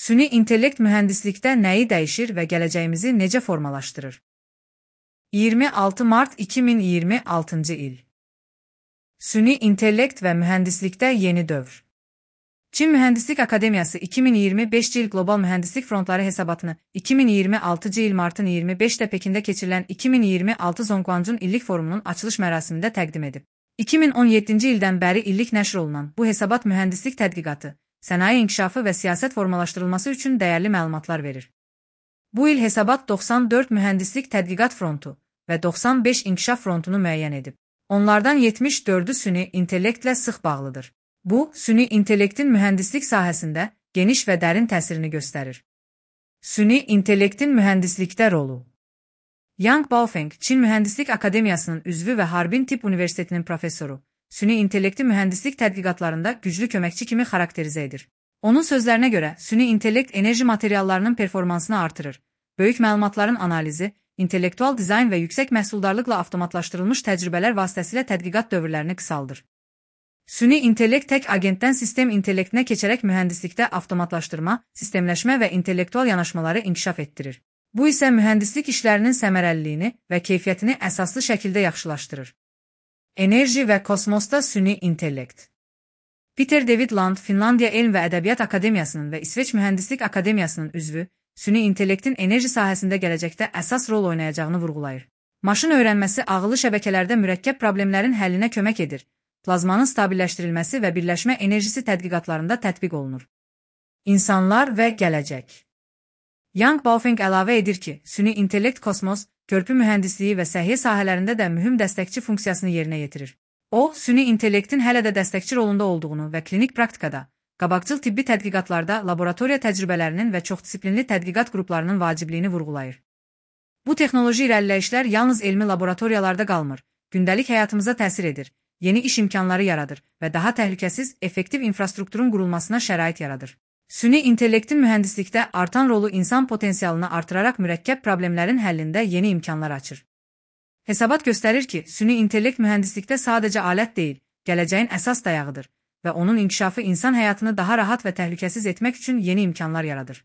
Süni intellekt mühəndislikdə nəyi dəyişir və gələcəyimizi necə formalaşdırır? 26 Mart 2026-cı il. Süni intellekt və mühəndislikdə yeni dövr. Çin Mühəndislik Akademiyası 2025-ci il Qlobal Mühəndislik Frontları hesabatını 2026-cı il martın 25-də Pekində keçirilən 2026 Zhongguancun illik forumunun açılış mərasimində təqdim edib. 2017-ci ildən bəri illik nəşr olunan bu hesabat mühəndislik tədqiqatı, sənaye inkişafı və siyasət formalaşdırılması üçün dəyərli məlumatlar verir. Bu il hesabat 94 mühəndislik tədqiqat frontu və 95 inkişaf frontunu müəyyən edib. Onlardan 74-ü süni intellektlə sıx bağlıdır. Bu, süni intellektin mühəndislik sahəsində geniş və dərin təsirini göstərir. Süni intellektin mühəndislikdə rolu. Yang Baofeng, Çin Mühəndislik Akademiyasının üzvü və Harbin Tibb Universitetinin professoru, süni intellekti mühəndislik tədqiqatlarında güclü köməkçi kimi xarakterizə edir. Onun sözlərinə görə, süni intellekt enerji materiallarının performansını artırır, böyük məlumatların analizi, intellektual dizayn və yüksək məhsuldarlıqla avtomatlaşdırılmış təcrübələr vasitəsilə tədqiqat dövrlərini qısaldır. Süni intellekt tək agentdən sistem intellektinə keçərək mühəndislikdə avtomatlaşdırma, sistemləşmə və intellektual yanaşmaları inkişaf etdirir. Bu isə mühəndislik işlərinin səmərəliliyini və keyfiyyətini əsaslı şəkildə yaxşılaşdırır. Enerji və kosmosda süni intellekt. Peter David Land, Finlandiya Elm və Ədəbiyyat Akademiyasının və İsveç Mühəndislik Akademiyasının üzvü, süni intellektin enerji sahəsində gələcəkdə əsas rol oynayacağını vurğulayır. Maşın öyrənməsi ağıllı şəbəkələrdə mürəkkəb problemlərin həllinə kömək edir. Plazmanın stabilləşdirilməsi və birləşmə enerjisi tədqiqatlarında tətbiq olunur. İnsanlar və gələcək. Yang Baofeng əlavə edir ki, süni intellekt kosmos, körpü mühəndisliyi və səhiyyə sahələrində də mühüm dəstəkçi funksiyasını yerinə yetirir. O, süni intellektin hələ də dəstəkçi rolunda olduğunu və klinik praktikada, qabaqcıl tibbi tədqiqatlarda laboratoriya təcrübələrinin və çoxdisiplinli tədqiqat qruplarının vacibliyini vurğulayır. Bu texnoloji irəliləyişlər yalnız elmi laboratoriyalarda qalmır, gündəlik həyatımıza təsir edir, yeni iş imkanları yaradır və daha təhlükəsiz, effektiv infrastrukturun qurulmasına şərait yaradır. Süni intellektin mühəndislikdə artan rolu insan potensialını artıraraq mürəkkəb problemlərin həllində yeni imkanlar açır. Hesabat göstərir ki, süni intellekt mühəndislikdə sadəcə alət deyil, gələcəyin əsas dayağıdır və onun inkişafı insan həyatını daha rahat və təhlükəsiz etmək üçün yeni imkanlar yaradır.